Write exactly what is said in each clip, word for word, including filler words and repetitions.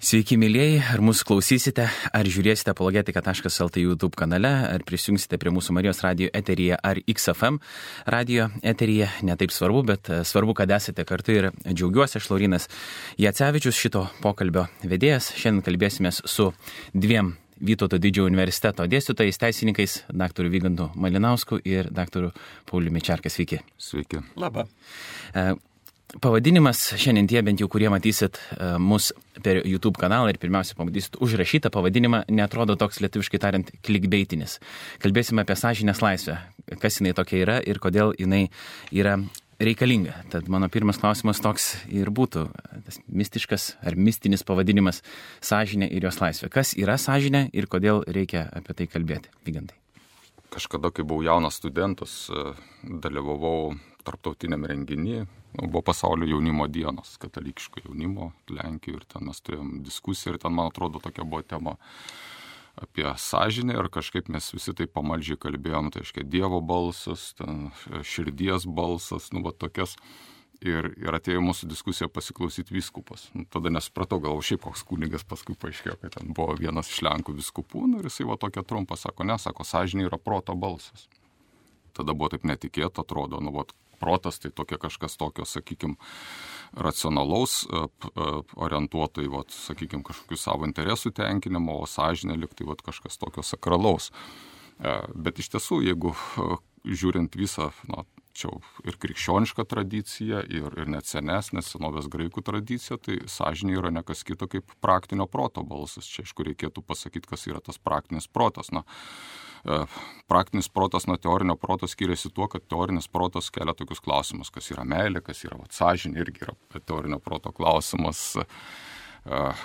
Sveiki, mėlyjei, ar mūsų klausysite, ar žiūrėsite apologetika taškas lt YouTube kanale, ar prisijungsite prie mūsų Marijos radio eteryje ar X F M radio eteryje, netaip svarbu, bet svarbu, kad esate kartu ir džiaugiuosi. Aš Laurynas Jacevičius, šito pokalbio vedėjas. Šiandien kalbėsimės su dviem Vytauto Didžiojo universiteto dėstytojais, teisininkais, daktaru Vygantu Malinausku ir daktaru Pauliumi Čerka. Sveiki. Sveiki. Labą. Pavadinimas šiandien tie, bent jau kurie matysit mus per YouTube kanalą ir pirmiausia pamatysit užrašytą pavadinimą, netrodo toks lietuviškai tariant clickbaitinis. Kalbėsime apie sąžinės laisvę, kas jinai tokia yra ir kodėl jinai yra reikalinga. Tad mano pirmas klausimas toks ir būtų, tas mistiškas ar mistinis pavadinimas sąžinė ir jos laisvė. Kas yra sąžinė ir kodėl reikia apie tai kalbėti? Vygantai. Kažkada, kai buvau jaunas studentas, dalyvavau tarptautiniam renginį, buvo pasaulio jaunimo dienos, katalikiško jaunimo Lenkijoje ir ten mes turėjom diskusiją ir ten, man atrodo, tokia buvo tema apie sąžinę ir kažkaip mes visi taip pamaldžiai kalbėjom, tai aiškiai Dievo balsas, ten širdies balsas, nu va tokias. Ir, ir atėjo mūsų diskusiją pasiklausyti vyskupas. Nu, tada nesupratau, gal šiaip koks kunigas, paskui paaiškėjo, kad ten buvo vienas iš Lenkų vyskupų, nu, ir jisai va tokia trumpa sako, ne, sako, sąžinė yra proto balsas. Tada buvo taip netikėta, atrodo, nu, va, protas tai tokia kažkas tokio, sakykime, racionalaus, orientuoto į, va, sakykime, kažkokių savo interesų tenkinimo, o sąžinė lyg tai va, kažkas tokio sakralaus. Bet iš tiesų, jeigu žiūrint visą, na, čia ir krikščioniška tradicija, ir, ir net senesnė senovės graikų tradicija, tai sąžinė yra ne kas kito kaip praktinio proto balsas. Čia, aišku, reikėtų pasakyti, kas yra tas praktinis protas. Na, praktinis protas nuo teorinio proto skiriasi tuo, kad teorinis protas kelia tokius klausimus, kas yra meilė, kas yra vat, sąžinė, irgi yra teorinio proto klausimas,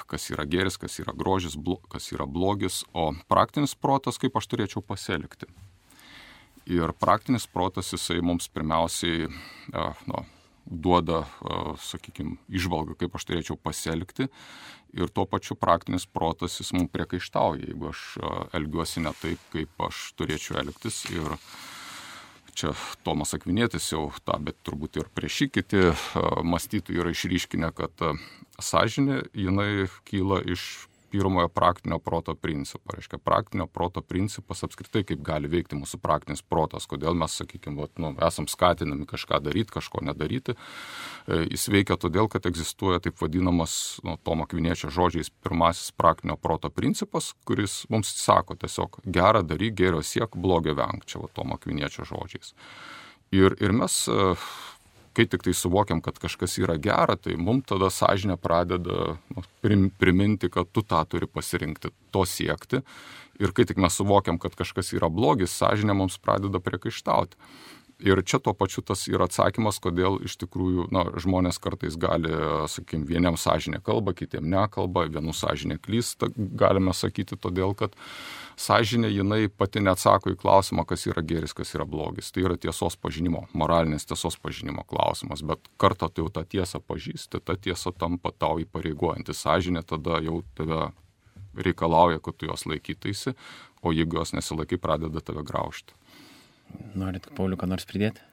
kas yra gėris, kas yra grožis, kas yra blogis, o praktinis protas, kaip aš turėčiau pasielgti. Ir praktinis protas, jisai mums pirmiausiai nu, duoda, sakykime, įžvalgą, kaip aš turėčiau pasielgti. Ir tuo pačiu praktinis protas, jis mums priekaištauja, jeigu aš elgiuosi ne taip, kaip aš turėčiau elgtis. Ir čia Tomas Akvinietis jau tą, bet turbūt ir prieš jį kiti mąstytojai yra išryškinę, kad sąžinė, jinai kyla iš pirmojo praktinio proto principo. Reiškia, praktinio proto principas apskritai, kaip gali veikti mūsų praktinis protas, kodėl mes, sakykime, vat, nu, esam skatinami kažką daryti, kažko nedaryti. Jis veikia todėl, kad egzistuoja taip vadinamas, nu, Tomo Akviniečio žodžiais, pirmasis praktinio proto principas, kuris mums sako tiesiog gerą daryk, gėrio siek, blogio venk, čia va, Tomo Akviniečio žodžiais. Ir, ir mes, kai tik tai suvokiam, kad kažkas yra gera, tai mums tada sąžinė pradeda nu, priminti, kad tu tą turi pasirinkti, to siekti. Ir kai tik mes suvokiam, kad kažkas yra blogis, sąžinė mums pradeda priekaištauti. Ir čia tuo pačiu tas yra atsakymas, kodėl iš tikrųjų na, žmonės kartais gali, sakykime, vieniem sąžinė kalba, kitiem nekalba, vienų sąžinė klysta, galime sakyti, todėl kad sąžinė jinai pati neatsako į klausimą, kas yra gėris, kas yra blogis. Tai yra tiesos pažinimo, moralinės tiesos pažinimo klausimas, bet kartą tai jau tą tiesą pažįsti, ta tiesa tampa tau įpareigojanti. Sąžinė tada jau tave reikalauja, kad tu jos laikytaisi, o jeigu jos nesilaikai, pradeda tave graužti. Norit, Pauliu, ką nors pridėti?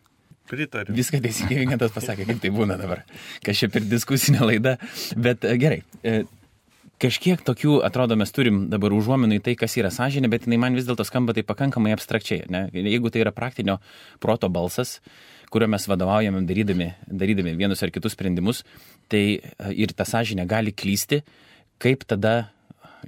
Pritariu. Viską teisingai Vygantas pasakė, kaip tai būna dabar. Kas čia per diskusinė laida. Bet gerai, kažkiek tokių, atrodo, mes turim dabar užuominų į tai, kas yra sąžinė, bet jinai man vis dėlto skamba tai pakankamai abstrakčiai. Ne? Jeigu tai yra praktinio proto balsas, kurio mes vadovaujame darydami, darydami vienus ar kitus sprendimus, tai ir ta sąžinė gali klysti, kaip tada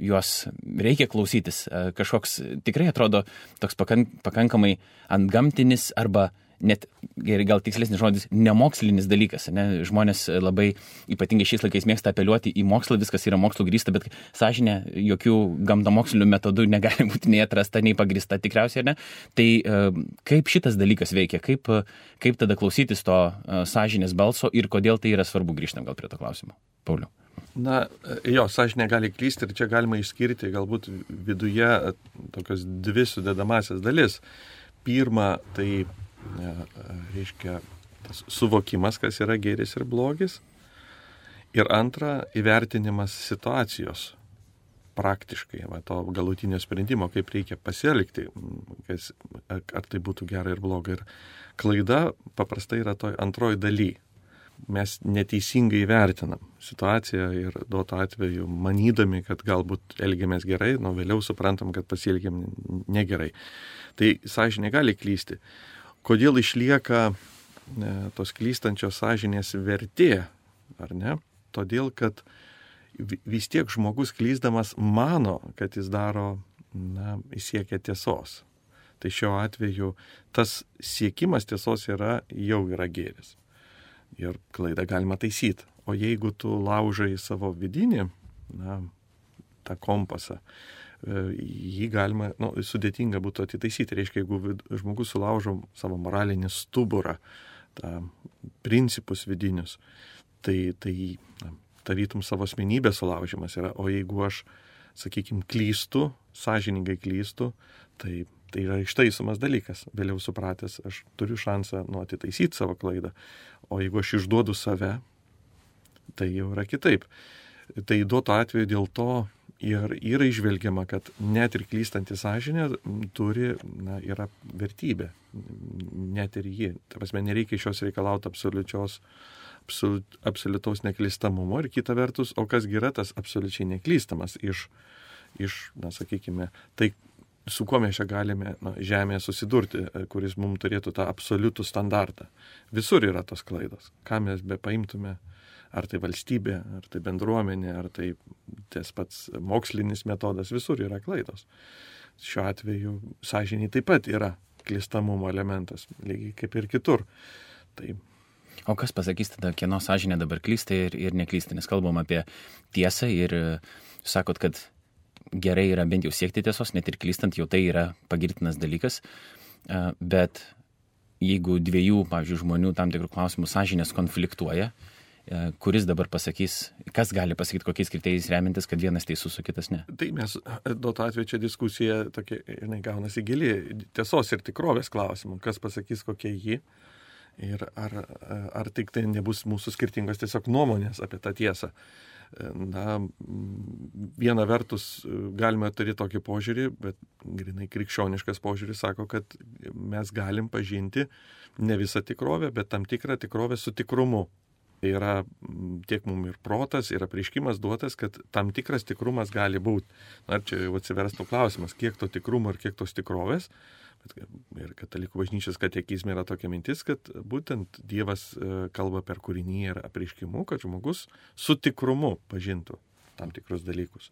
juos reikia klausytis. Kažkoks tikrai atrodo toks pakankamai antgamtinis arba net, gal tikslesnis žodis, nemokslinis dalykas. Ne? Žmonės labai ypatingai šiais laikais mėgsta apeliuoti į mokslą, viskas yra mokslo grįsta, bet sąžinė jokių gamtamokslinių metodų negali būti nei atrasta, nei pagrįsta tikriausiai. Ne? Tai kaip šitas dalykas veikia, kaip, kaip tada klausytis to sąžinės balso ir kodėl tai yra svarbu, grįžtam gal prie to klausimo. Pauliau. Na, jo, sąžinė gali klysti ir čia galima išskirti galbūt viduje tokios dvi sudedamasias dalis. Pirma, tai reiškia tas suvokimas, kas yra gėris ir blogis. Ir antra, įvertinimas situacijos praktiškai, va, to galutinio sprendimo, kaip reikia pasielgti, kas, ar tai būtų gera ir bloga. Ir klaida paprastai yra toj antroji daly. mes neteisingai vertinam situaciją ir duoto atveju manydami, kad galbūt elgiamės gerai, nu vėliau suprantam, kad pasielgiam negerai. Tai sąžinė gali klysti. Kodėl išlieka ne, tos klystančios sąžinės vertė, ar ne? Todėl, kad vis tiek žmogus klysdamas mano, kad jis daro, na, jis siekia tiesos. Tai šiuo atveju tas siekimas tiesos yra, jau yra gėris. Ir klaidą galima taisyti. O jeigu tu laužai savo vidinį, na, tą kompasą, jį galima, nu, sudėtinga būtų atitaisyti. Reiškia, jeigu žmogus sulaužo savo moralinį stuburą, tą principus vidinius, tai, tai na, tarytum savo asmenybės sulaužimas yra. O jeigu aš, sakykime, klystu, sąžiningai klystu, tai tai yra ištaisomas dalykas. Vėliau supratęs, aš turiu šansą nu, atitaisyti savo klaidą. O jeigu aš išduodu save, tai jau yra kitaip. Tai duoto atveju dėl to ir yra išvelgiama, kad net ir klystanti sąžinė turi, na, yra vertybė. Net ir ji. Ta prasme, nereikia iš jos reikalauti absoliučios, absoliut, absoliutaus neklystamumo. Ir kita vertus, o kas yra tas absoliučiai neklystamas iš, iš na, sakykime, tai su kuo mes čia galime na, žemėje susidurti, kuris mums turėtų tą absoliutų standartą. Visur yra tos klaidos. Ką mes be paimtume, ar tai valstybė, ar tai bendruomenė, ar tai tas pats mokslinis metodas, visur yra klaidos. Šiuo atveju sąžiniai taip pat yra klystamumo elementas, lygiai kaip ir kitur. Tai... O kas pasakys tada, kieno sąžinė dabar klysta ir, ir neklysta, nes kalbam apie tiesą ir sakot, kad gerai yra bent jau siekti tiesos, net ir klystant, jau tai yra pagirtinas dalykas, bet jeigu dviejų, pavyzdžiui, žmonių tam tikrų klausimų sąžinės konfliktuoja, kuris dabar pasakys, kas gali pasakyti, kokiais kriterijais remintis, kad vienas teisus, o kitas ne? Tai mes, duoto atveju čia diskusija tokia, žinai, gaunasi gili tiesos ir tikrovės klausimų, kas pasakys, kokia ji ir ar, ar tik tai nebus mūsų skirtingos tiesiog nuomonės apie tą tiesą. Na, viena vertus galime turėti tokį požiūrį, bet grinai krikščioniškas požiūris sako, kad mes galim pažinti ne visą tikrovę, bet tam tikrą tikrovę su tikrumu. Tai yra tiek mums ir protas, ir apreiškimas duotas, kad tam tikras tikrumas gali būti. Na, čia jau atsiverstų klausimas, kiek to tikrumo ir kiek tos tikrovės. Ir katalikų bažnyčios katekizme yra tokia mintis, kad būtent Dievas kalba per kūrinį ir apreiškimu, kad žmogus su tikrumu pažintų tam tikrus dalykus.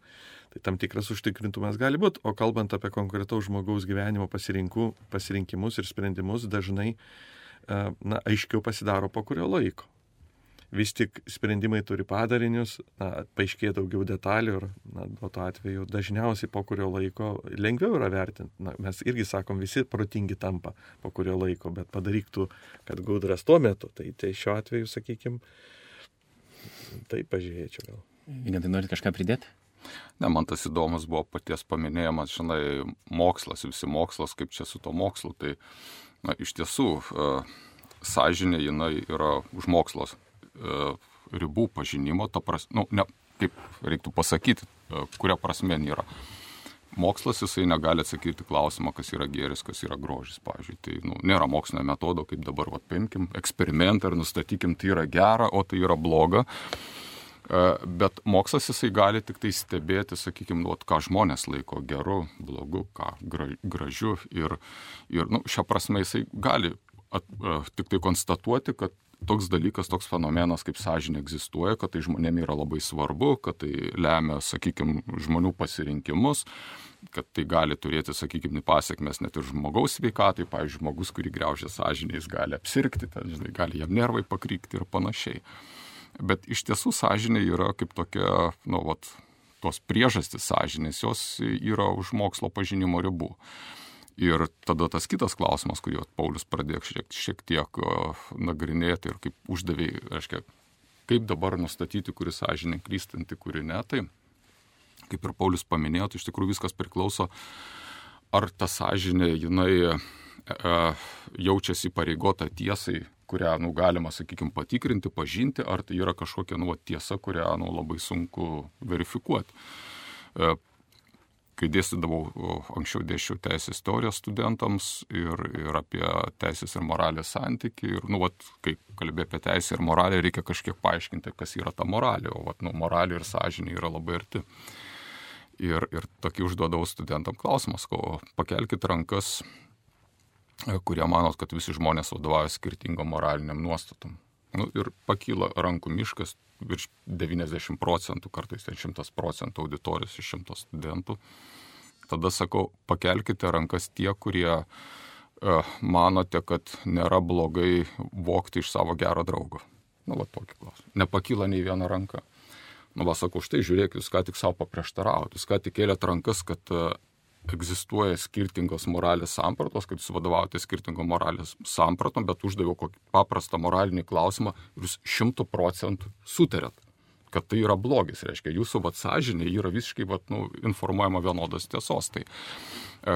Tai tam tikras užtikrintumas gali būti, o kalbant apie konkretaus žmogaus gyvenimo pasirinkimus ir sprendimus, dažnai na, aiškiau pasidaro po kurio laiko. Vis tik sprendimai turi padarinius, na, paaiškėja daugiau detalių ir na, duoto atveju dažniausiai po kurio laiko lengviau yra vertinti. Na, mes irgi sakom, visi protingi tampa po kurio laiko, bet padaryk tu, kad gudras tuo metu. Tai, tai šiuo atveju, sakykime, tai pažiūrėčiau gal. Vygantai, norit kažką pridėti? Ne, man tas įdomus buvo paties paminėjimas, žinai, mokslas, visi mokslas, kaip čia su to mokslu. Tai na, iš tiesų sąžinė jinai yra už mokslos ribų pažinimo, ta pras, nu, ne, kaip reiktų pasakyti, kuria prasme yra. Mokslas jisai negali atsakyti klausimą, kas yra gėris, kas yra grožis, pavyzdžiui. Tai nu, nėra mokslinio metodo, kaip dabar vat, paimkim eksperimentą ir nustatykim, tai yra gera, o tai yra bloga. Bet mokslas jisai gali tik tai stebėti, sakykime, nu, ką žmonės laiko geru, blogu, ką gražiu. Ir, ir nu, šią prasme jisai gali at, tik tai konstatuoti, kad toks dalykas, toks fenomenas kaip sąžinė egzistuoja, kad tai žmonėm yra labai svarbu, kad tai lemia, sakykime, žmonių pasirinkimus, kad tai gali turėti, sakykime, pasiekmes net ir žmogaus sveikatai. Pavyzdžiui, žmogus, kurį griaužia sąžinė, jis gali apsirgti, ten, žinai, gali jam nervai pakrykti ir panašiai. Bet iš tiesų sąžinė yra kaip tokia, nu, vat, tos priežastys sąžinės, jos yra už mokslo pažinimo ribų. Ir tada tas kitas klausimas, kurį Paulius pradėjo šiek, šiek tiek uh, nagrinėti ir kaip uždavėjai, reiškia, kaip dabar nustatyti, kuri sąžinė klystanti, kuri ne, tai kaip ir Paulius paminėjo, tai iš tikrųjų viskas priklauso, ar ta sąžinė, jinai uh, jaučiasi pareigota tiesai, kurią, nu, galima, sakykime, patikrinti, pažinti, ar tai yra kažkokia, nu, tiesa, kurią, nu, labai sunku verifikuoti. Uh, kai dėstydavau, anksčiau dėsčiau teisės teorijos studentams ir, ir apie teisės ir moralės santykį. Ir, nu, vat, kai kalbė apie teisę ir moralę, reikia kažkiek paaiškinti, kas yra ta moralė. O, vat, nu, moralė ir sąžinė yra labai arti. Ir, ir tokį užduodavau studentam klausimas, ko pakelkite rankas, kurie manot, kad visi žmonės vadovauja skirtingom moraliniam nuostatom. Nu, ir pakyla rankų miškas, virš devyniasdešimt procentų, kartais ten šimtas procentų auditorijos iš šimto studentų. Tada sakau, pakelkite rankas tie, kurie uh, manote, kad nėra blogai vogti iš savo gero draugo. Nu, va tokį klausimą. Nepakyla nei viena ranka. Nu, va sakau, štai žiūrėk, jūs ką tik savo paprieštaravot, jūs ką tik kėlėt rankas, kad uh, egzistuoja skirtingos moralės sampratos, kad jūs vadovaujate skirtingom moralės sampratom, bet uždaviau kokį paprastą moralinį klausimą ir jūs šimtų procentų sutarėt, kad tai yra blogis. Reiškia, jūsų vat sąžinė yra visiškai vat, nu, informuojama vienodos tiesos. Tai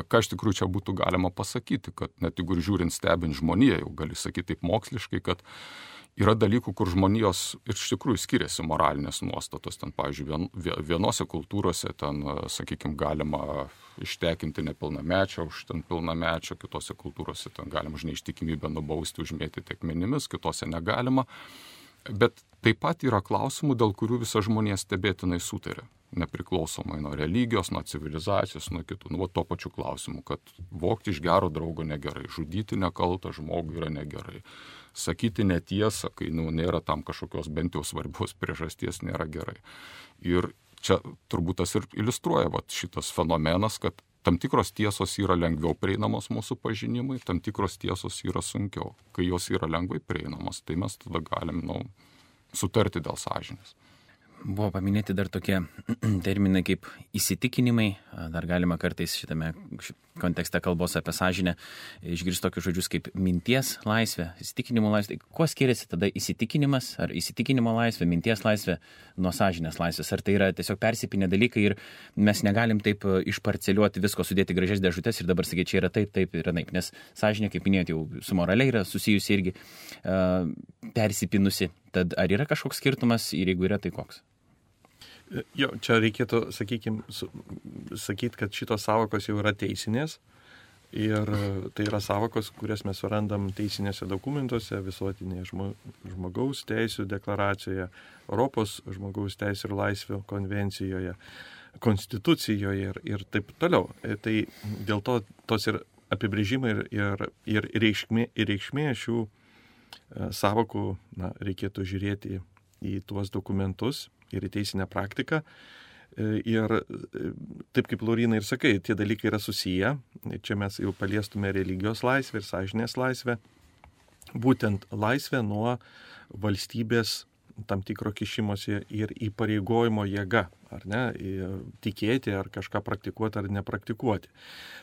ką iš tikrųjų čia būtų galima pasakyti, kad net jeigu žiūrint stebint žmoniją, jau gali sakyti taip moksliškai, kad yra dalykų, kur žmonijos ir iš tikrųjų skiriasi moralinės nuostatos. Ten, pavyzdžiui, vien, vienose kultūrose ten, sakykime, galima ištekinti nepilnamečio už ten pilnamečio, kitose kultūrose ten galima už neištikimybę nubausti, užmėtyti akmenimis, kitose negalima. Bet taip pat yra klausimų, dėl kurių visa žmonija stebėtinai sutarė. Nepriklausomai nuo religijos, nuo civilizacijos, nuo kitų. Nu, to pačių klausimų, kad vogti iš gero draugo negerai, žudyti nekaltą žmogų yra negerai. Sakyti netiesą, kai nu, nėra tam kažkokios bent jau svarbios priežasties, nėra gerai. Ir čia turbūt tas ir iliustruoja vat, šitas fenomenas, kad tam tikros tiesos yra lengviau prieinamos mūsų pažinimui, tam tikros tiesos yra sunkiau. Kai jos yra lengvai prieinamos, tai mes tada galim nu, sutarti dėl sąžinės. Buvo paminėti dar tokie terminai kaip įsitikinimai, dar galima kartais šitame kontekste kalbos apie sąžinę išgirsti tokius žodžius kaip minties laisvė, įsitikinimo laisvė. Kuo skiriasi tada įsitikinimas ar įsitikinimo laisvė, minties laisvė nuo sąžinės laisvės? Ar tai yra tiesiog persipinę dalykai ir mes negalim taip išparceliuoti visko, sudėti gražias dėžutes ir dabar sakyti, čia yra taip, taip ir anaip, nes sąžinė, kaip minėjot, jau su moraliai yra susijusi irgi uh, persipinusi. Tad ar yra kažkoks skirtumas ir jeigu yra, tai koks? Jo, čia reikėtų, sakykime, sakyti, kad šitos savokos jau yra teisinės ir tai yra savokos, kurias mes surandam teisinėse dokumentuose, visuotinėje žmogaus teisų deklaracijoje, Europos žmogaus teisų ir laisvių konvencijoje, konstitucijoje ir, ir taip toliau. Tai dėl to tos ir apibrėžimai ir, ir, ir, reikšmė, ir reikšmė šių savokų na, reikėtų žiūrėti į tuos dokumentus ir į teisinę praktiką. Ir taip kaip Lauryna ir sakai, tie dalykai yra susiję. Čia mes jau paliestume religijos laisvę ir sąžinės laisvę. Būtent laisvę nuo valstybės tam tikro kišimosi ir įpareigojimo jėga, ar ne, tikėti ar kažką praktikuoti ar nepraktikuoti.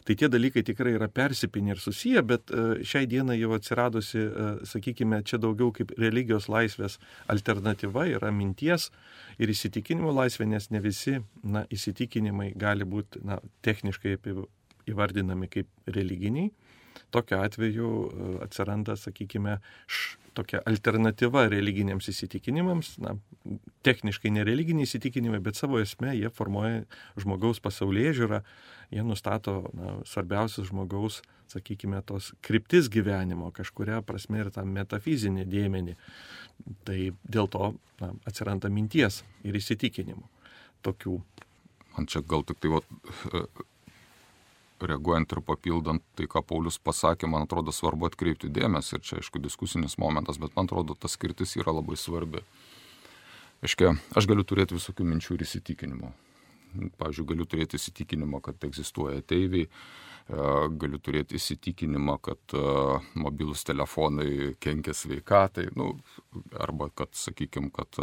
Tai tie dalykai tikrai yra persipinę ir susiję, bet šiai dienai jau atsiradusi, sakykime, čia daugiau kaip religijos laisvės alternatyva yra minties ir įsitikinimų laisvė, nes ne visi na, įsitikinimai gali būti na, techniškai įvardinami kaip religiniai. Tokiu atveju atsiranda, sakykime, š, tokia alternatyva religiniams įsitikinimams, na, techniškai nereliginiai įsitikinimai, bet savo esmė jie formuoja žmogaus pasaulėžiūrą, jie nustato na, svarbiausius žmogaus, sakykime, tos kryptis gyvenimo, kažkuria prasme ir tą metafizinį dėmenį. Tai dėl to na, atsiranda minties ir įsitikinimų tokių. Man čia gal tik tai... Va... reaguojant ir papildant tai, ką Paulius pasakė, man atrodo svarbu atkreipti dėmesį ir čia, aišku, diskusinis momentas, bet man atrodo, tas skirtis yra labai svarbi. Aiškia, aš galiu turėti visokių minčių ir įsitikinimų. Pavyzdžiui, galiu turėti įsitikinimą, kad egzistuoja ateiviai, galiu turėti įsitikinimą, kad mobilūs telefonai kenkia sveikatai, nu, arba kad, sakykime, kad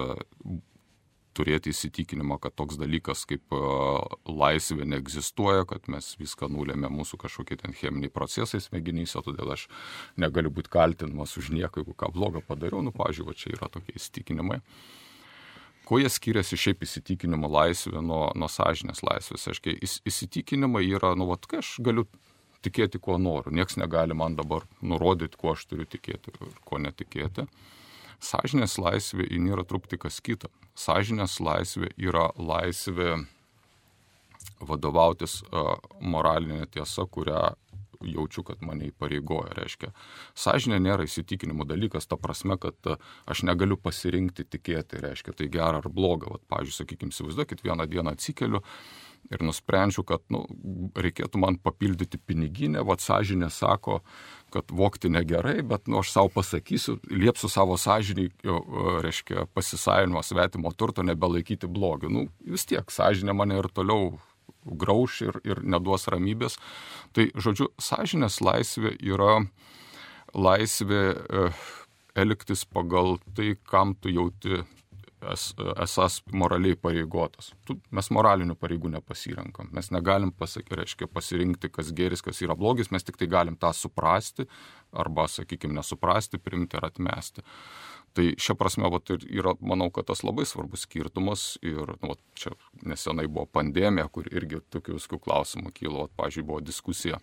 turėti įsitikinimą, kad toks dalykas kaip laisvė neegzistuoja, kad mes viską nulėmė mūsų kažkokie ten cheminiai procesai smegenyse, todėl aš negaliu būti kaltinamas už nieką, jeigu ką blogo padariau. Nu, pavyzdžiui, va, čia yra tokie įsitikinimai. Kuo jie skiriasi šiaip įsitikinimo laisvė nuo, nuo sąžinės laisvės? Aiškiai, įsitikinimai yra, nu, vat, kai aš galiu tikėti, kuo noriu. Niekas negali man dabar nurodyti, kuo aš turiu tikėti ir kuo netikėti. Sąžinės laisvė yra truputį kas kita. Sąžinės laisvė yra laisvė vadovautis uh, moralinė tiesa, kurią jaučiu, kad mane įpareigoja. Reiškia, sąžinė nėra įsitikinimų dalykas, ta prasme, kad uh, aš negaliu pasirinkti tikėti, reiškia, tai gera ar bloga. Vat, pavyzdžiui, sakykime, įsivaizduokit, vieną dieną atsikeliu ir nusprendžiu, kad nu, reikėtų man papildyti piniginę, vat sąžinė sako, kad vogti negerai, bet nu, aš savo pasakysiu, liepsiu savo sąžinį, reiškia, pasisavinimo svetimo turto nebelaikyti blogiu. Nu, vis tiek, sąžinė mane ir toliau grauš ir, ir neduos ramybės. Tai, žodžiu, sąžinės laisvė yra laisvė e, elgtis pagal tai, kam tu jauti es, esas moraliai pareigotas. Tu, mes moralinių pareigų nepasirenkam. Mes negalim pasakyti, reiškia, pasirinkti, kas geris, kas yra blogis, mes tik tai galim tą suprasti arba, sakykime, nesuprasti, priimti ar atmesti. Tai šia prasme vat, yra, manau, kad tas labai svarbus skirtumas ir nu, vat, čia nesenai buvo pandemija, kur irgi tokių viskų klausimų kilo, vat, pavyzdžiui, buvo diskusija,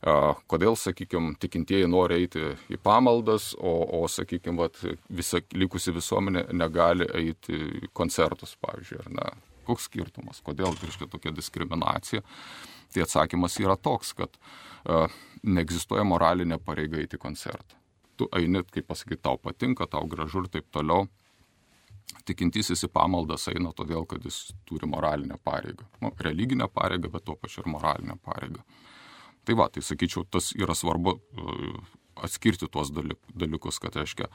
a, kodėl, sakykime, tikintieji nori eiti į pamaldas, o, o sakykime, vat, visa likusi visuomenė negali eiti į koncertus, pavyzdžiui, ar ne. Koks skirtumas, kodėl reiškia tokia diskriminacija? Tai atsakymas yra toks, kad a, neegzistuoja moralinė pareiga eiti į koncertą. Tu eini, kaip pasakyti, tau patinka, tau gražu ir taip toliau. Tikintysis į pamaldas eina todėl, kad jis turi moralinę pareigą. Nu, religinę pareigą, bet tuo pačiu ir moralinę pareigą. Tai va, tai sakyčiau, tas yra svarbu atskirti tuos dalykus, kad, reiškia,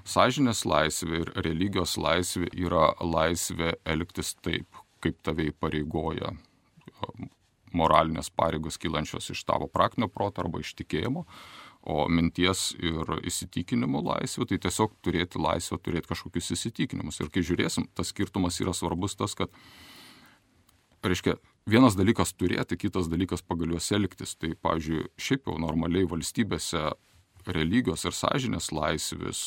sąžinės laisvė ir religijos laisvė yra laisvė elgtis taip, kaip tave įpareigoja moralinės pareigos kylančios iš tavo praktinio proto arba iš tikėjimo. O minties ir įsitikinimų laisvė, tai tiesiog turėti laisvę, turėti kažkokius įsitikinimus. Ir kai žiūrėsim, tas skirtumas yra svarbus tas, kad, reiškia, vienas dalykas turėti, kitas dalykas pagal juos elgtis. Tai, pavyzdžiui, šiaip jau normaliai valstybėse religijos ir sąžinės laisvės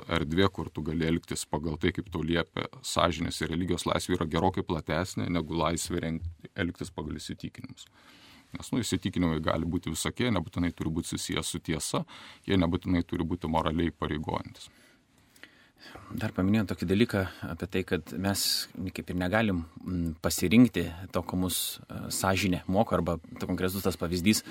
erdvė, kur tu gali elgtis pagal tai, kaip tau liepia sąžinės ir religijos laisvė, yra gerokai platesnė negu laisvė elgtis pagal įsitikinimus. Nes nu, įsitikinimai gali būti visokie, nebūtinai turi būti susijęs su tiesa, jie nebūtinai turi būti moraliai pareigojantis. Dar paminėjau tokį dalyką apie tai, kad mes kaip ir negalim pasirinkti to, ko mus sąžinė moko, arba to konkretus tas pavyzdys,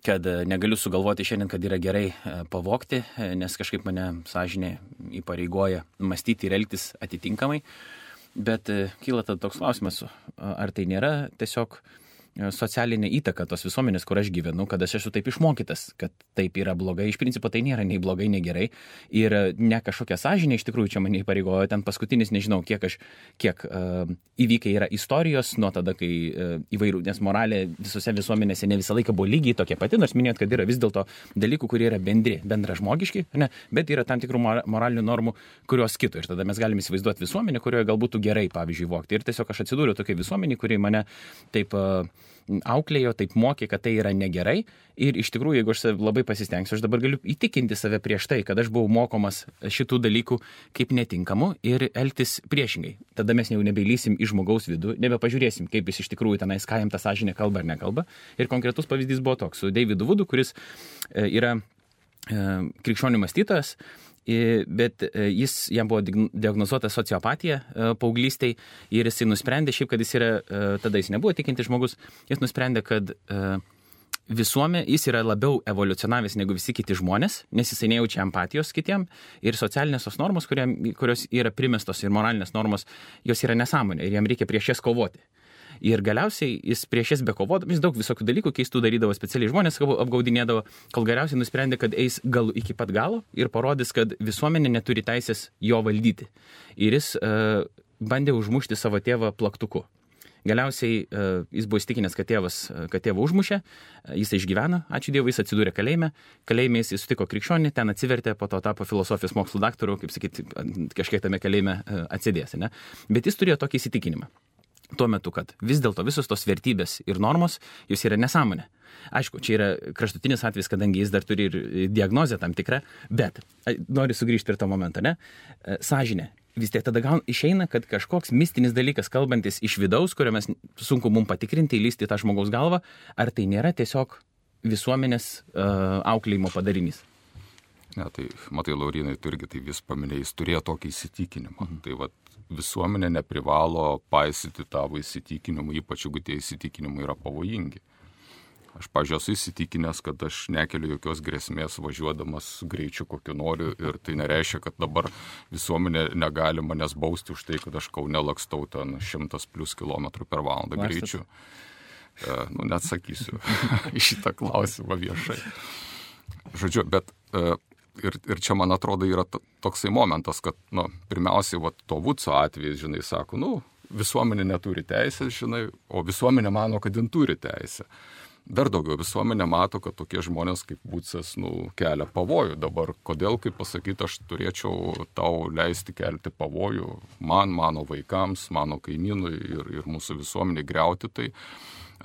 kad negaliu sugalvoti šiandien, kad yra gerai pavogti, nes kažkaip mane sąžinė įpareigoja mąstyti ir elgtis atitinkamai. Bet kyla tada toks klausimas, ar tai nėra tiesiog socialinė įtaka tos visuomenės, kur aš gyvenu, kad aš esu taip išmokytas, kad taip yra blogai. Iš principo tai nėra nei blogai, nei gerai. Ir ne kažkokia sąžinė iš tikrųjų čia mane įpareigojo. Ten paskutinis, nežinau, kiek aš, kiek uh, įvykiai yra istorijos nuo tada, kai uh, įvairių, nes moralė visose visuomenėse ne visą laiką buvo lygiai tokia pati, nors minėjot, kad yra vis dėlto dalykų, kurie yra bendri, bendražmogiški, ne, bet yra tam tikrų moralinių normų, kurios kito. Ir tada mes galime įsivaizduoti visuomenę, kurioje galbūt gerai, pavyzdžiui, vogti. Ir tiesiog aš atsidūriau tokia visuomenė, kuri mane taip uh, auklėjo, taip mokė, kad tai yra negerai. Ir iš tikrųjų, jeigu aš labai pasistengsiu, aš dabar galiu įtikinti save prieš tai, kad aš buvau mokomas šitų dalykų kaip netinkamų ir elgtis priešingai. Tada mes jau nebeilysim į žmogaus vidų, nebepažiūrėsim, kaip jis iš tikrųjų tenais, ką jam ta sąžinė kalba ar nekalba. Ir konkretus pavyzdys buvo toks su Davidu Woodu, kuris yra krikščionių mąstytojas, bet jis, jam buvo diagnozuota sociopatija paauglystėj ir jis nusprendė, šiaip, kad jis yra, tada jis nebuvo tikintis žmogus, jis nusprendė, kad visuomenė, jis yra labiau evoliucionavęs negu visi kiti žmonės, nes jisai nejaučia empatijos kitiem ir socialinės tos normos, kurie, kurios yra primestos ir moralinės normos, jos yra nesąmonė ir jam reikia prieš jas kovoti. Ir galiausiai jis prieš jas bekovodavo, jis daug visokių dalykų keistų darydavo, specialiai žmonės apgaudinėdavo, kol galiausiai nusprendė, kad eis gal iki pat galo ir parodys, kad visuomenė neturi teisės jo valdyti. Ir jis uh, bandė užmušti savo tėvą plaktuku. Galiausiai uh, jis buvo įstikinęs, kad tėvas, kad tėvą užmušė, jis išgyveno, ačiū Dievui, jis atsidūrė kalėjime, kalėjime jis sutiko krikščionį, ten atsivertė, po to tapo filosofijos mokslų daktaru, kaip sakyti, kažkiek tame kalėjime uh, atsidės, ne? Bet jis turėjo tokį įsitikinimą. Tuo metu, kad vis dėlto visos tos vertybės ir normos, jos yra nesąmonė. Aišku, čia yra kraštutinis atvejis, kadangi jis dar turi ir diagnozę tam tikrą, bet noriu sugrįžti prie to momento, ne? Sąžinė. Vis tiek tada gal išeina, kad kažkoks mistinis dalykas, kalbantis iš vidaus, kurio mes sunku mums patikrinti, įlysti tą žmogaus galvą, ar tai nėra tiesiog visuomenės uh, auklėjimo padarinys? Ne, tai matai, Laurinai, tu irgi tai vis paminėjai, jis turėjo tokį įsitikinimą. Mhm. Tai vat, visuomenė neprivalo paisyti tavo įsitikinimų, ypač jeigu tie įsitikinimai yra pavojingi. Aš, pažiūrėjau, esu įsitikinęs, kad aš nekeliu jokios grėsmės važiuodamas greičiu, kokiu noriu, ir tai nereiškia, kad dabar visuomenė negali manęs bausti už tai, kad aš Kaune lakstau ten šimtas plus kilometrų per valandą greičiu. E, nu, neatsakysiu į šitą klausimą viešai. Žodžiu, bet e, ir, ir čia, man atrodo, yra toksai momentas, kad, nu, pirmiausiai, va, to Vudso atvejais, žinai, sako, nu, visuomenė neturi teisės, žinai, o visuomenė mano, kad jin turi teisę. Dar daugiau, visuomenė mato, kad tokie žmonės kaip Vudsas, nu, kelia pavojų. Dabar, kodėl, kaip pasakyti, aš turėčiau tau leisti kelti pavojų man, mano vaikams, mano kaimynui ir, ir mūsų visuomenė griauti, tai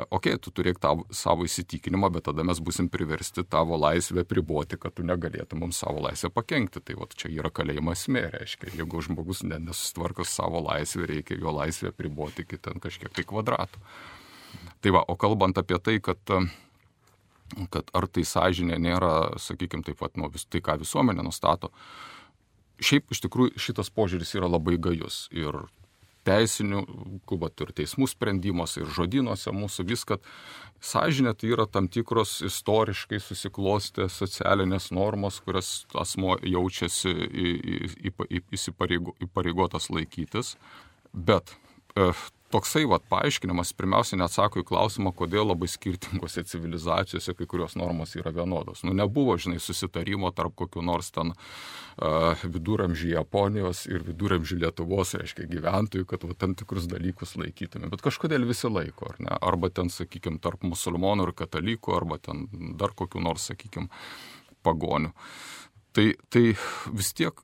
okei, okay, tu turėk tavo, savo įsitikinimą, bet tada mes busim priversti tavo laisvę priboti, kad tu negalėtum mums savo laisvę pakenkti. Tai vat čia yra kalėjimo esmė, reiškia. Jeigu žmogus nesusitvarko savo laisvę, reikia jo laisvę priboti iki ten kažkiek tai kvadratų. Tai va, o kalbant apie tai, kad, kad ar tai sąžinė nėra, sakykime, taip pat, nu, vis, tai ką visuomenė nustato, šiaip iš tikrųjų šitas požiūris yra labai gajus. Ir teisinių, kubat ir teismų sprendimuose, ir žodynuose mūsų vis, kad sąžinė tai yra tam tikros istoriškai susiklostę socialinės normos, kurias asmuo jaučiasi įpareigotas laikytis. Bet e, toksai vat, paaiškinimas pirmiausia neatsako į klausimą, kodėl labai skirtingose civilizacijose kai kurios normos yra vienodos. Nu, nebuvo, žinai, susitarimo tarp kokių nors ten uh, viduramžių Japonijos ir viduramžių Lietuvos, reiškia, gyventojų, kad va, tam tikrus dalykus laikytume. Bet kažkodėl visi laiko, ar ne? Arba ten, sakykime, tarp musulmonų ir katalikų, arba ten dar kokių nors, sakykime, pagonių. Tai, tai vis tiek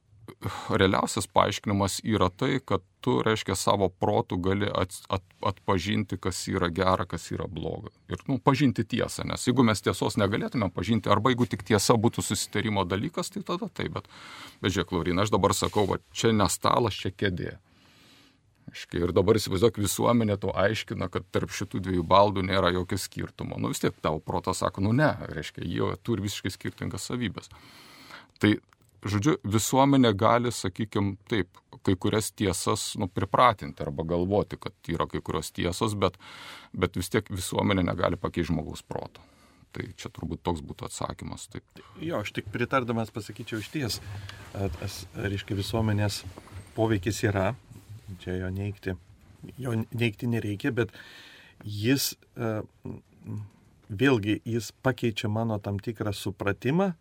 realiausias paaiškinimas yra tai, kad tu, reiškia, savo protų gali at, at, atpažinti, kas yra gera, kas yra bloga. Ir, nu, pažinti tiesą, nes jeigu mes tiesos negalėtume pažinti, arba jeigu tik tiesa būtų susitarimo dalykas, tai tada taip, bet, bet žiūrėk, Laurina, aš dabar sakau, va, čia ne stalas, čia kėdė. Aiškiai, ir dabar įsivaizduok, visuomenė to aiškina, kad tarp šitų dviejų baldų nėra jokio skirtumo. Nu, vis tiek tavo protas sako, nu ne, reiškia, jie turi visiškai skirtingas savybės. Tai žodžiu, visuomenė gali, sakykime, taip, kai kurias tiesas nu, pripratinti arba galvoti, kad yra kai kurios tiesos, bet, bet vis tiek visuomenė negali pakeisti žmogaus proto. Tai čia turbūt toks būtų atsakymas. Taip. Jo, aš tik pritardamas pasakyčiau iš ties, reiškia, visuomenės poveikis yra, čia jo neigti, jo neigti nereikia, bet jis, vėlgi, jis pakeičia mano tam tikrą supratimą,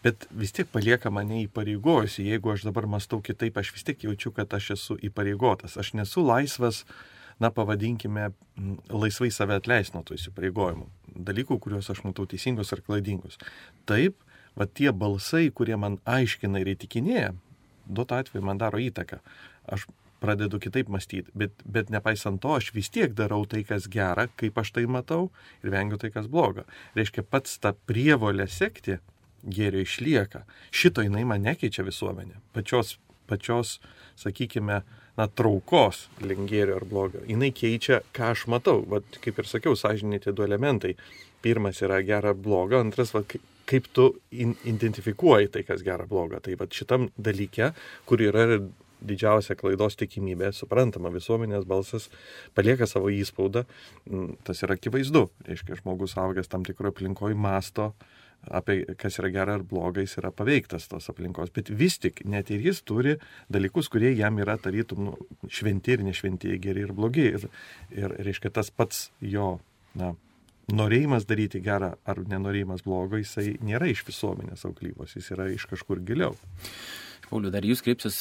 bet vis tiek palieka mane įpareigojusi. Jeigu aš dabar mąstau kitaip, aš vis tiek jaučiu, kad aš esu įpareigotas. Aš nesu laisvas, na pavadinkime, laisvai save atleisti nuo tų įsipareigojimų. Dalykų, kuriuos aš matau teisingus ar klaidingus. Taip, va tie balsai, kurie man aiškina ir įtikinėja, duotu atveju man daro įtaką. Aš pradedu kitaip mąstyti, bet, bet nepaisant to, aš vis tiek darau tai, kas gera, kaip aš tai matau, ir vengiu tai, kas bloga. Reiškia, pats tą prievolę sekti gėrio išlieka. Šito jinai man nekeičia visuomenė. Pačios, pačios, sakykime, na, traukos link gėrio ar blogio. Jinai keičia, ką aš matau. Vat, kaip ir sakiau, sąžiniai tie du elementai. Pirmas yra gera ar bloga, antras, vat, kaip tu in, identifikuoji tai, kas gera bloga. Tai vat, šitam dalyke, kur yra didžiausia klaidos tikimybė, suprantama, visuomenės balsas palieka savo įspaudą, tas yra akivaizdu. Reiškia, žmogus augęs tam tikroje aplinkoje masto apie kas yra gera ar bloga, jis yra paveiktas tos aplinkos. Bet vis tik, net ir jis turi dalykus, kurie jam yra tarytum nu, šventi ir nešventi, geri ir blogi. Ir, ir reiškia, tas pats jo na, norėjimas daryti gerą ar nenorėjimas blogo, jisai nėra iš visuomenės auklybos, jis yra iš kažkur giliau. Pauliau, dar jūs kreipsis,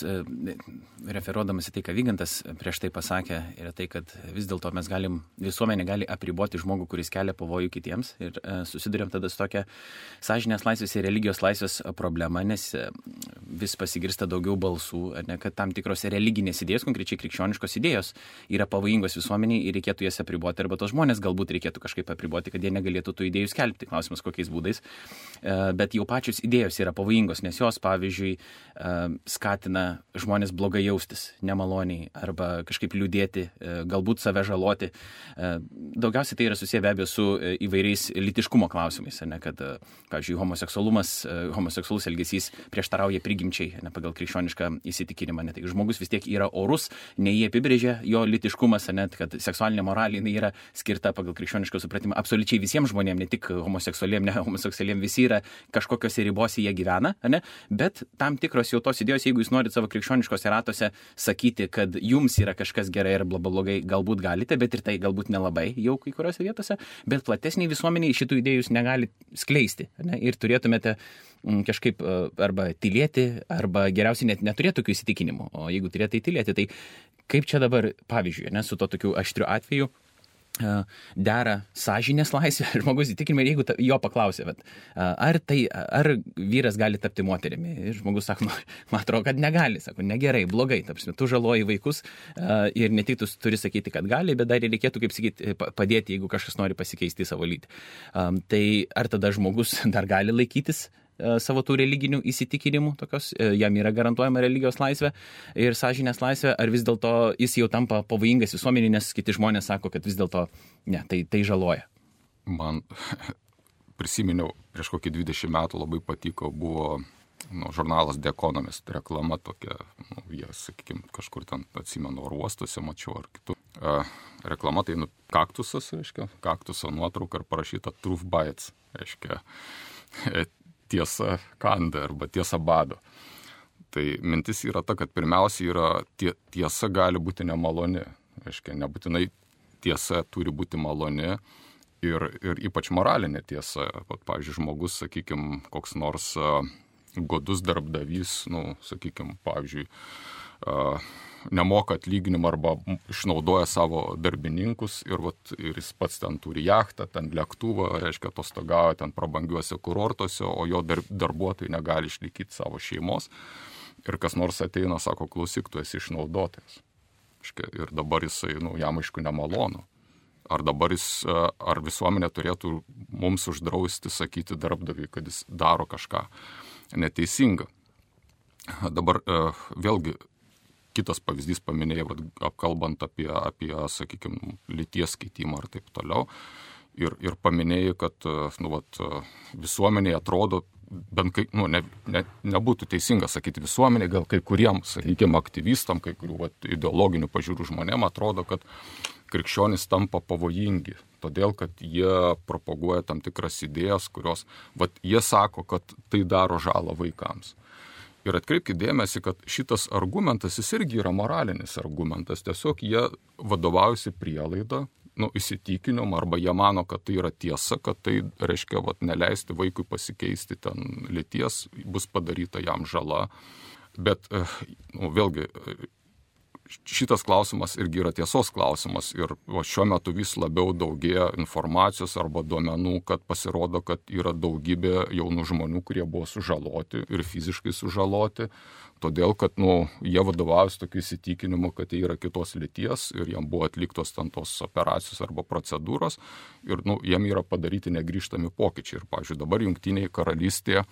referuodamas į tai, ką Vygantas prieš tai pasakė, yra tai, kad vis dėlto mes galim, visuomenė gali apriboti žmogų, kuris kelia pavojų kitiems ir susidurėm tada su tokia sąžinės laisvės ir religijos laisvės problema, nes vis pasigirsta daugiau balsų, ne, kad tam tikros religinės idėjos, konkrečiai krikščioniškos idėjos, yra pavojingos visuomeniai ir reikėtų jas apriboti, arba tos žmonės galbūt reikėtų kažkaip apriboti, kad jie negalėtų tų idėjų skelbti, klausimas kokiais būdais, bet jau pačios idėjos yra pavojingos, nes jos, pavyzdžiui, skatina žmonės blogai jaustis, nemaloniai arba kažkaip liūdėti, galbūt save žaloti. Daugiausiai tai yra susiję be abejo su įvairiais lytiškumo klausimais, ne, kad, pavyzdžiui, homoseksualumas, homoseksualus elgesys prieštarauja prigimčiai, ne, pagal krikščionišką įsitikinimą. Ne, tai žmogus vis tiek yra orus, ne jie apibrėžia jo lytiškumas, net kad seksualinė moralė yra skirta pagal krikščionišką supratimą absoliučiai visiems žmonėms, ne tik homoseksualiem, ne homoseksualiem, visi yra kažkokiose ribose jie gyvena, ne, bet tam tikros jau tos idėjos, jeigu jūs norite savo krikščioniškose ratuose sakyti, kad jums yra kažkas gerai ir blogai, galbūt galite, bet ir tai galbūt nelabai jau kai kuriuose vietose, bet platesniai visuomeniai šitų idėjų jūs negali skleisti, ne, ir turėtumėte kažkaip arba tylėti, arba geriausiai net neturėti tokių įsitikinimų, o jeigu turėtumėte tylėti, tai kaip čia dabar, pavyzdžiui, ne, su to tokiu aštriu atveju dera sąžinės laisvė, žmogus įtikinimai, ir jeigu jo paklausė, bet, ar, tai, ar vyras gali tapti moterimi, ir žmogus sako, nu, man atrodo, kad negali, sako, negerai, blogai, tapsime, tu žaloji vaikus ir ne tik tu turi sakyti, kad gali, bet dar ir reikėtų, kaip sakyti, padėti, jeigu kažkas nori pasikeisti savo lytį. Tai ar tada žmogus dar gali laikytis savo tų religinių įsitikinimų, tokios, jam yra garantuojama religijos laisvė ir sąžinės laisvė, ar vis dėlto jis jau tampa pavojingas visuomenį, nes kiti žmonės sako, kad vis dėlto ne, tai, tai žaloja. Man prisiminiau, prieš kokį dvidešimt metų labai patiko, buvo nu, žurnalas The Economist, reklama tokia, nu, jie, sakykime, kažkur ten atsimenu, ar uostuose mačiau, ar kitur. Uh, reklama tai nu, kaktusas, reiškia, kaktuso nuotrauka ir parašyta Truth Bites, reiškia, tiesa kanda arba tiesa bado. Tai mintis yra ta, kad pirmiausia yra tie, tiesa gali būti nemaloni. Aiškiai, nebūtinai tiesa turi būti maloni ir, ir ypač moralinė tiesa. Pat, pavyzdžiui, žmogus, sakykime, koks nors uh, godus darbdavys, nu, sakykime, pavyzdžiui, uh, nemoka atlyginimą arba išnaudoja savo darbininkus ir, vat, ir jis pats ten turi jachtą, ten lėktuvą, reiškia, atostogauja ten prabangiuose kurortuose, o jo dar, darbuotojai negali išlaikyti savo šeimos. Ir kas nors ateina, sako, klausyk, tu esi išnaudotojas. Ir dabar jisai, nu, jam aišku nemalonu. Ar dabar jis, ar visuomenė turėtų mums uždrausti sakyti darbdaviui, kad jis daro kažką neteisingą. Dabar vėlgi, kitas pavyzdys paminėjai, apkalbant apie, apie sakykime, lyties keitimą ar taip toliau. Ir, ir paminėjai, kad nu, vat, visuomenėje atrodo, bent kai, nu, ne, ne, nebūtų teisinga sakyti visuomeniai, gal kai kuriems, sakykime, aktyvistam, kai kurių vat, ideologinių pažiūrų žmonėm atrodo, kad krikščionys tampa pavojingi, todėl, kad jie propaguoja tam tikras idėjas, kurios, vat, jie sako, kad tai daro žalą vaikams. Ir atkreipkite dėmesį, kad šitas argumentas, jis irgi yra moralinis argumentas. Tiesiog jie vadovaujasi prielaidą, nu, įsitikinimu, arba jie mano, kad tai yra tiesa, kad tai reiškia, vat, neleisti vaikui pasikeisti ten lyties, bus padaryta jam žala. Bet, nu, vėlgi, šitas klausimas irgi yra tiesos klausimas ir o, šiuo metu vis labiau daugėja informacijos arba duomenų, kad pasirodo, kad yra daugybė jaunų žmonių, kurie buvo sužaloti ir fiziškai sužaloti, todėl, kad nu, jie vadovaujasi tokiu įsitikinimu, kad jie yra kitos lyties ir jiem buvo atliktos ten tos operacijos arba procedūros ir nu, jiem yra padaryti negrįžtami pokyčiai. Ir, pavyzdžiui, dabar Jungtinėje karalystėje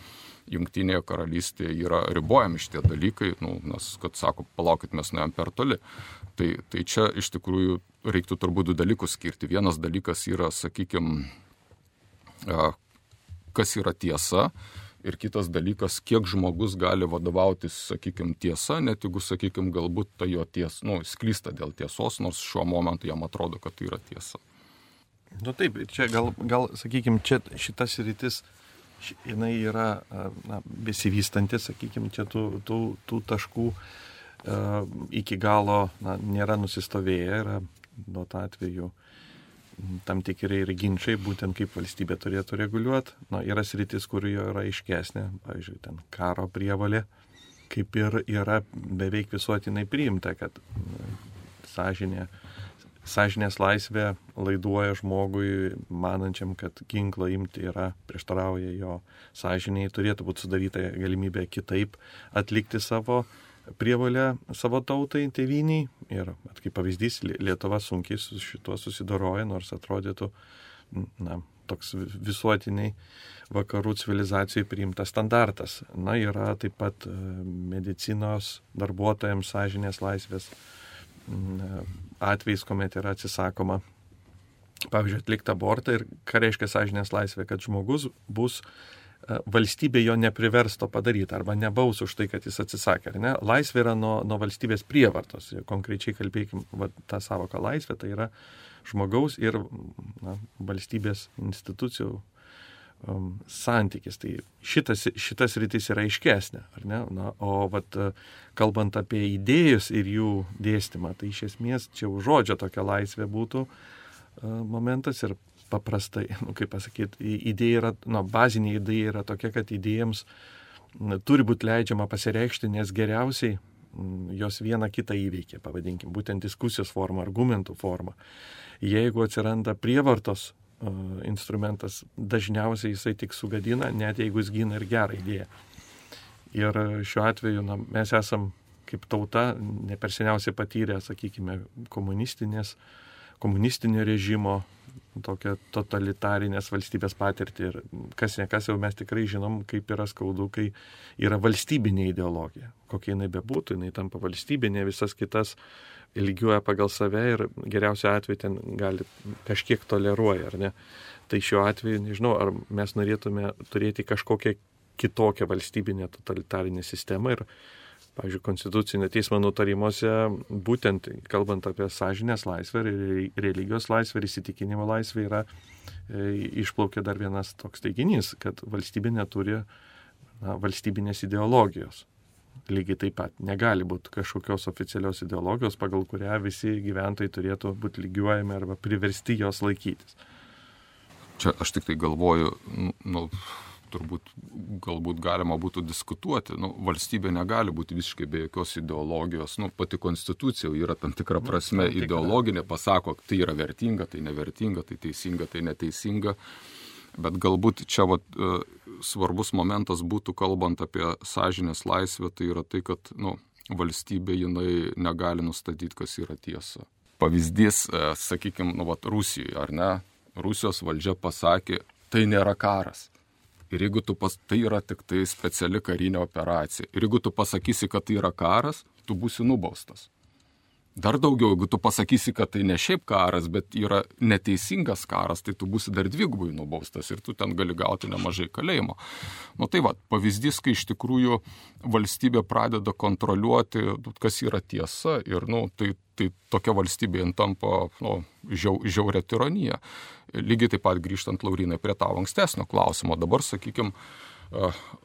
Jungtinėje karalystėje yra ribojami šitie dalykai, nu, nes, kad sako, palaukit, mes nuėjom per toli. Tai, tai čia iš tikrųjų reiktų turbūt du dalykus skirti. Vienas dalykas yra, sakykime, kas yra tiesa ir kitas dalykas, kiek žmogus gali vadovautis, sakykime, tiesa, net jeigu, sakykime, galbūt tai jo tiesa, nu, sklysta dėl tiesos, nors šiuo momentu jam atrodo, kad tai yra tiesa. Nu taip, čia gal, gal sakykime, čia šitas rytis jinai yra na, besivystanti, sakykime, čia tų, tų, tų taškų uh, iki galo na, nėra nusistovėję, yra nuo to atveju tam tikrai ir ginčiai, būtent kaip valstybė turėtų reguliuoti. Na, yra sritis, kur jo yra aiškesnė, pavyzdžiui, ten karo prievalė, kaip ir yra beveik visuotinai priimta, kad sąžinė Sąžinės laisvė laiduoja žmogui, manančiam, kad ginklą imti yra prieštarauja jo sąžiniai, turėtų būti sudaryta galimybė kitaip atlikti savo prievolę savo tautai, tėvyniai. Ir kaip pavyzdys, Lietuva sunkiai su šituo susidoroja, nors atrodytų, na, toks visuotiniai vakarų civilizacijai priimtas standartas. Na, yra taip pat medicinos darbuotojams sąžinės laisvės atvejais, kuomet yra atsisakoma, pavyzdžiui, atlikti abortą. Ir ką reiškia sąžinės laisvė, kad žmogus bus, valstybė jo nepriversto padaryti arba nebaus už tai, kad jis atsisakė. Ar ne? Laisvė yra nuo, nuo valstybės prievartos. Konkrečiai kalbėkim, va, tą savoką laisvė, tai yra žmogaus ir na, valstybės institucijų um, santykis. Tai šitas, šitas rytis yra aiškesnė. Ar ne? Na, o vat, kalbant apie idėjus ir jų dėstymą, tai iš esmės čia už žodžio tokia laisvė būtų uh, momentas ir paprastai, nu, kaip pasakyti, idėja yra, nu, bazinė idėja yra tokia, kad idėjams na, turi būti leidžiama pasireikšti, nes geriausiai m, jos vieną kitą įveikia, pavadinkim, būtent diskusijos forma, argumentų forma. Jeigu atsiranda prievartos uh, instrumentas, dažniausiai jisai tik sugadina, net jeigu jis gina ir gerą idėją. Ir šiuo atveju na, mes esam kaip tauta ne per seniausiai patyrę, sakykime, komunistinės, komunistinio režimo, tokia totalitarinės valstybės patirtį ir kas ne kas jau mes tikrai žinom, kaip yra skaudu, kai yra valstybinė ideologija. Kokia jinai bebūtų, jinai tampa valstybinė, visas kitas lygiuoja pagal save ir geriausiu atveju ten gali kažkiek toleruoja, ar ne? Tai šiuo atveju, nežinau, ar mes norėtume turėti kažkokią kitokią valstybinę totalitarinę sistemą ir pavyzdžiui, Konstitucinio teismo nutarimuose, būtent kalbant apie sąžinės laisvę, religijos laisvę ir įsitikinimo laisvę, yra e, išplaukia dar vienas toks teiginys, kad valstybė neturi na, valstybinės ideologijos. Lygiai taip pat negali būti kažkokios oficialios ideologijos, pagal kurią visi gyventojai turėtų būti lygiuojami arba priversti jos laikytis. Čia aš tik tai galvoju, nu, turbūt galbūt galima būtų diskutuoti. Nu, valstybė negali būti visiškai be jokios ideologijos. Nu, pati konstitucija yra tam tikra prasme nu, ideologinė, pasako, tai yra vertinga, tai nevertinga, tai teisinga, tai neteisinga. Bet galbūt čia vat, svarbus momentas būtų, kalbant apie sąžinės laisvę, tai yra tai, kad nu, valstybė jinai negali nustatyti, kas yra tiesa. Pavyzdys, sakykime, nu, vat, Rusijoje, ar ne? Rusijos valdžia pasakė, tai nėra karas. Ir jeigu tu pas, tai yra tik tai speciali karinė operacija. Ir jeigu tu pasakysi, kad tai yra karas, tu būsi nubaustas. Dar daugiau, jeigu tu pasakysi, kad tai ne šiaip karas, bet yra neteisingas karas, tai tu būsi dar dvigubai nubaustas ir tu ten gali gauti nemažai kalėjimo. Nu tai va, pavyzdys, kai iš tikrųjų valstybė pradeda kontroliuoti, kas yra tiesa ir nu, tai, tai tokia valstybė tampa nu, žiau, žiauria tironija. Lygiai taip pat grįžtant, Laurinai, prie tavo ankstesnio klausimo. Dabar, sakykime,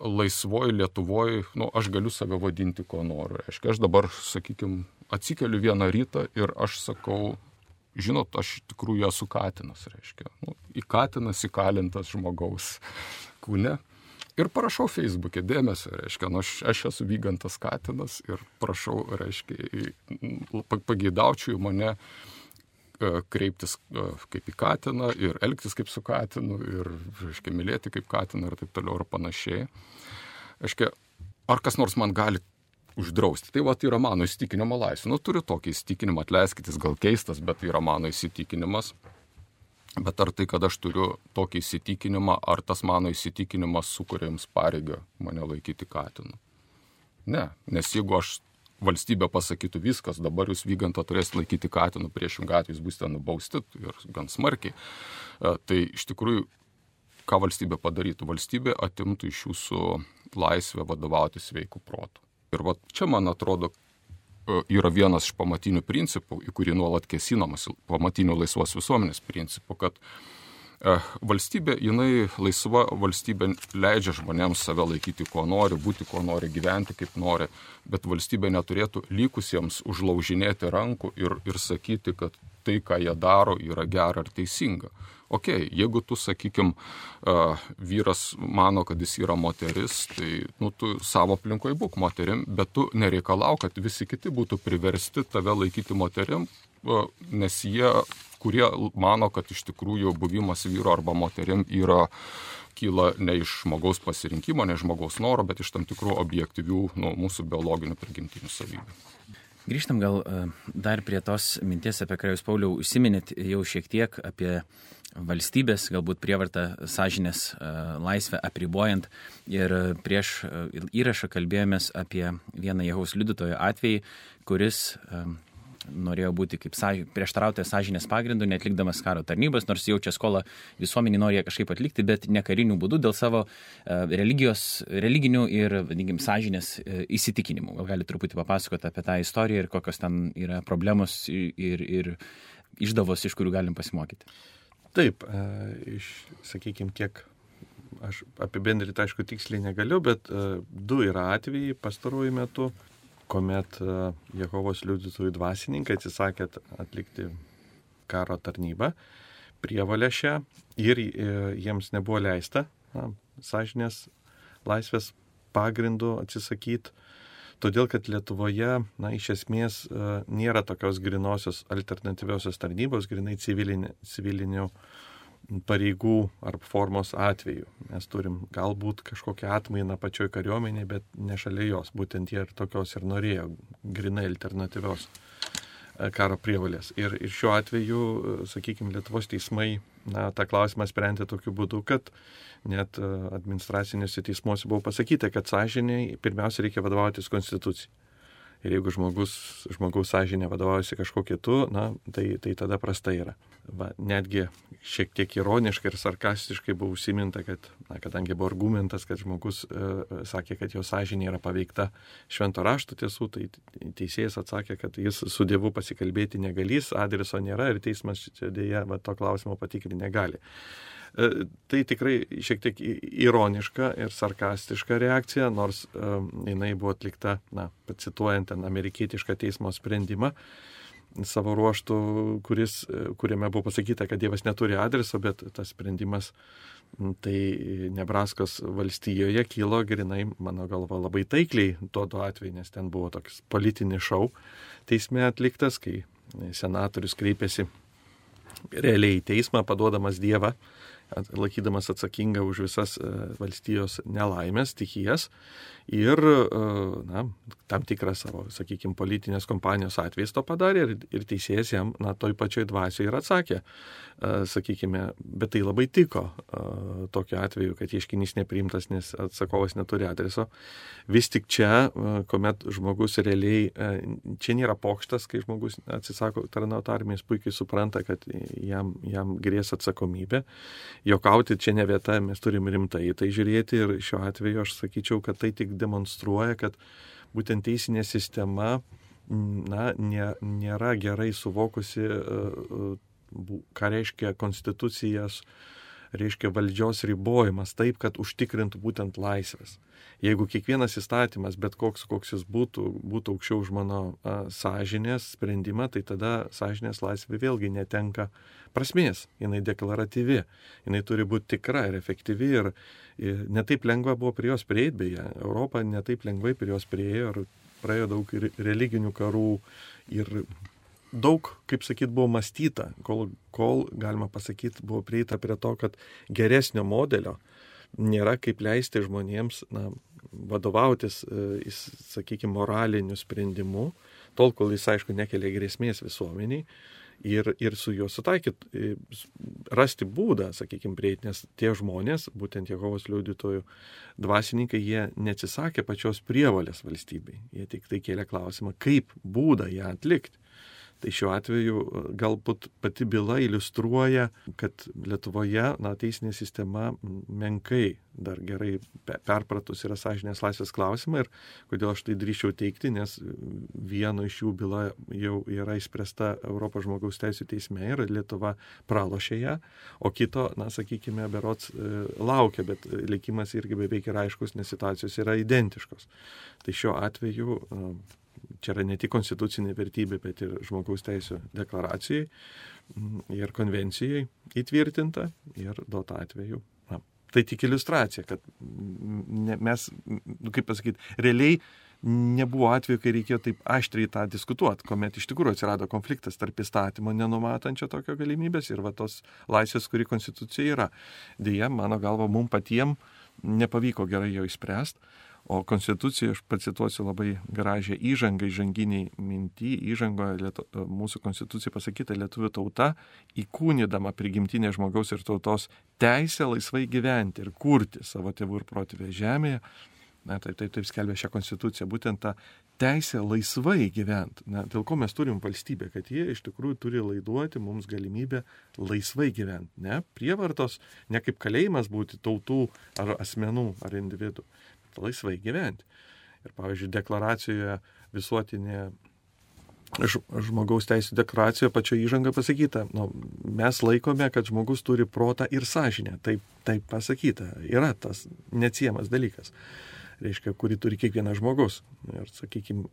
laisvoji Lietuvoje, nu, aš galiu save vadinti, ko noriu. Reiškia, aš dabar, sakykime, atsikeliu vieną rytą ir aš sakau, žinot, aš tikrųjų esu katinas, reiškia. Nu, įkatinas, įkalintas žmogaus kūne. Ir parašau Facebook'e dėmesio, reiškia, nu, aš, aš esu vygantas katinas ir prašau, reiškia, pageidaučiau mane kreiptis kaip į katiną ir elgtis kaip su katinu ir, reiškia, mylėti kaip katiną ir taip toliau ir panašiai. Reiškia, ar kas nors man gali uždrausti? Tai va, tai yra mano įsitikinimo laisvė. Nu, turiu tokį įsitikinimą, atleiskit, jis gal keistas, bet tai yra mano įsitikinimas. Bet ar tai, kad aš turiu tokį įsitikinimą, ar tas mano įsitikinimas sukuria jums pareigą mane laikyti katinu? Ne, nes jeigu aš valstybė pasakytų viskas, dabar jūs Vygantą turėsite laikyti katinu, priešingų atveju jūs būsite nubausti ir gan smarkiai. Tai iš tikrųjų, ką valstybė padarytų? Valstybė atimtų iš jūsų laisvę vadovauti sveikų protų. Ir va čia, man atrodo, yra vienas iš pamatinių principų, į kurį nuolat kėsinamas, pamatinių laisvos visuomenės principų, kad valstybė, jinai laisva valstybė leidžia žmonėms save laikyti, ko nori, būti, ko nori, gyventi, kaip nori, bet valstybė neturėtų likusiems užlaužinėti rankų ir, ir sakyti, kad tai, ką jie daro, yra gera ar teisinga. Ok, jeigu tu, sakykim, vyras mano, kad jis yra moteris, tai nu, tu savo aplinkoje būk moterim, bet tu nereikalau, kad visi kiti būtų priversti tave laikyti moterim, nes jie, kurie mano, kad iš tikrųjų buvimas vyro arba moterim yra kyla ne iš žmogaus pasirinkimo, ne iš žmogaus noro, bet iš tam tikrų objektyvių nu, mūsų biologinių prigimtinių savybių. Grįžtam gal dar prie tos minties, apie ką jūs, Pauliau, užsiminėt jau šiek tiek apie valstybės, galbūt prievartą sąžinės laisvę apribojant. Ir prieš įrašą kalbėjomės apie vieną Jehovos liudytojo atvejį, kuris norėjo būti kaip sąž... prieštarautojas sąžinės pagrindų, netlikdamas karo tarnybos, nors jaučia skolą visuomenį, nori ją kažkaip atlikti, bet ne karinių būdų dėl savo religijos, religinių ir, vadinkim, sąžinės įsitikinimų. Gal gali truputį papasakoti apie tą istoriją ir kokios ten yra problemos ir, ir išdavos, iš kurių galim pasimokyti. Taip, iš, sakykime, kiek aš apibendrinti, aišku, tiksliai negaliu, bet du yra atvejai pastaruoju metu, kuomet Jehovos liudytojų dvasininkai atsisakė atlikti karo tarnybą, prievolę šią, ir jiems nebuvo leista na, sąžinės laisvės pagrindų atsisakyti, todėl kad Lietuvoje, na, iš esmės nėra tokios grinosios alternatyviosios tarnybos, grinai civilinė, civilinių pareigų ar formos atveju. Mes turim galbūt kažkokią atmainą pačioj kariuomenėje, bet ne šalia jos. Būtent jie ir tokios ir norėjo, grinai alternatyvios karo prievolės. Ir, ir šiuo atveju, sakykime, Lietuvos teismai na, tą klausimą sprendė tokiu būdu, kad net administraciniuose teismuose buvo pasakyta, kad sąžiniai pirmiausia reikia vadovautis konstitucijai. Ir jeigu žmogus, žmogaus sąžinė vadovaujasi kažko kitu, na, tai, tai tada prasta yra. Va, netgi šiek tiek ironiškai ir sarkastiškai buvo užsiminta, kad, na, kadangi buvo argumentas, kad žmogus e, sakė, kad jo sąžinė yra paveikta švento rašto tiesų, tai teisėjas atsakė, kad jis su Dievu pasikalbėti negalys, adreso nėra ir teismas čia dėja va, to klausimo patikrinti negali. Tai tikrai šiek tiek ironiška ir sarkastiška reakcija, nors um, jinai buvo atlikta, na, pacituojant ten amerikietišką teismo sprendimą savo ruoštų, kuris, kuriame buvo pasakyta, kad Dievas neturi adreso, bet tas sprendimas tai Nebraskos valstijoje kilo grinai, mano galva, labai taikliai tuo atveju, nes ten buvo toks politinis šou teisme atliktas, kai senatorius kreipėsi realiai į teismą, paduodamas Dievą, laikydamas atsakingą už visas valstijos nelaimės, stichijas ir na, tam tikrą savo, sakykime, politinės kompanijos atvejais to padarė ir, ir teisėjas jam na, toj pačioj dvasioje ir atsakė, sakykime, bet tai labai tiko tokiu atveju, kad ieškinys nepriimtas, nes atsakovas neturi adreso. Vis tik čia, kuomet žmogus realiai, čia nėra pokštas, kai žmogus atsisako tarnauti armijos, puikiai supranta, kad jam, jam grės atsakomybė. Jokauti čia ne vieta, mes turim rimtai į tai žiūrėti ir šiuo atveju aš sakyčiau, kad tai tik demonstruoja, kad būtent teisinė sistema na, nė, nėra gerai suvokusi, ką reiškia konstitucijas, reiškia valdžios ribojimas taip, kad užtikrintų būtent laisvės. Jeigu kiekvienas įstatymas, bet koks, koks jis būtų, būtų aukščiau už mano a, sąžinės sprendimą, tai tada sąžinės laisvė vėlgi netenka prasmės. Jinai deklaratyvi, jinai turi būti tikra ir efektyvi ir, ir netaip lengva buvo prie jos prieiti, beje, Europa netaip lengvai prie jos prieėjo ir praėjo daug ir religinių karų ir daug, kaip sakyt, buvo mąstyta, kol, kol galima pasakyti, buvo prieita prie to, kad geresnio modelio nėra kaip leisti žmonėms na, vadovautis, e, sakykime, moraliniu sprendimu, tol, kol jis, aišku, nekelia grėsmės visuomeniai ir, ir su juo sutaikyti, e, rasti būdą, sakykime, prieiti, nes tie žmonės, būtent Jehovos liudytojų dvasininkai, jie neatsisakė pačios prievolės valstybei, jie tik tai kėlė klausimą, kaip būdą ją atlikti. Tai šiuo atveju galbūt pati byla iliustruoja, kad Lietuvoje na, teisinė sistema menkai dar gerai perpratus yra sąžinės laisvės klausimą ir kodėl aš tai drįsčiau teikti, nes vieno iš jų byla jau yra išspręsta Europos žmogaus teisių teisme ir Lietuva pralošė ją, o kito, na, sakykime, berods laukia, bet likimas irgi beveik yra aiškus, nes situacijos yra identiškos. Tai šiuo atveju čia yra ne tik konstitucinė vertybė, bet ir žmogaus teisų deklaracijai ir konvencijai įtvirtinta ir duota atveju. Na, tai tik iliustracija, kad ne, mes, kaip pasakyti, realiai nebuvo atveju, kai reikėjo taip aštriai tą diskutuoti, kuomet iš tikrųjų atsirado konfliktas tarp įstatymo nenumatančio tokio galimybės ir va tos laisvės, kuri konstitucija yra. Deja, mano galva, mums patiems nepavyko gerai jo išspręsti. O konstitucija, aš pacituosiu labai gražią įžangą, įžanginiai mintį, įžangoje lietu, mūsų konstitucija pasakyta, lietuvių tauta įkūnydama prigimtinę žmogaus ir tautos teisę laisvai gyventi ir kurti savo tėvų ir protėvių žemėje. Na, taip, taip, taip skelbia šią konstituciją, būtent tą teisę laisvai gyventi. Na, dėl ko mes turim valstybę, kad jie iš tikrųjų turi laiduoti mums galimybę laisvai gyventi. Ne prievartos, ne kaip kalėjimas būti tautų ar asmenų ar individų. Laisvai gyventi. Ir pavyzdžiui, deklaracijoje visuotinė žmogaus teisų deklaracijoje pačioje įžanga pasakyta, nu, mes laikome, kad žmogus turi protą ir sąžinę. Taip, taip pasakyta. Yra tas neatsiejamas dalykas, reiškia, kurį turi kiekvienas žmogus. Ir, sakykime,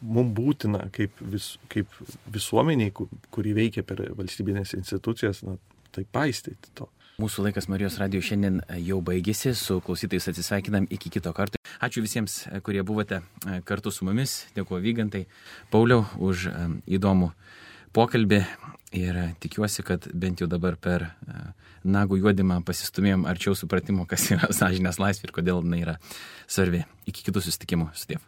mums būtina kaip, vis, kaip visuomeniai, kuri veikia per valstybinės institucijas, na, tai paistyti to. Mūsų laikas Marijos radijo šiandien jau baigėsi, su klausytais atsisveikinam iki kito karto. Ačiū visiems, kurie buvote kartu su mumis, dėkuoju Vygantai, Pauliau už įdomų pokalbį ir tikiuosi, kad bent jau dabar per nagų juodimą pasistumėjom arčiau supratimo, kas yra sąžinės laisvė ir kodėl jinai yra svarbi. Iki kitų susitikimų. Sudiev.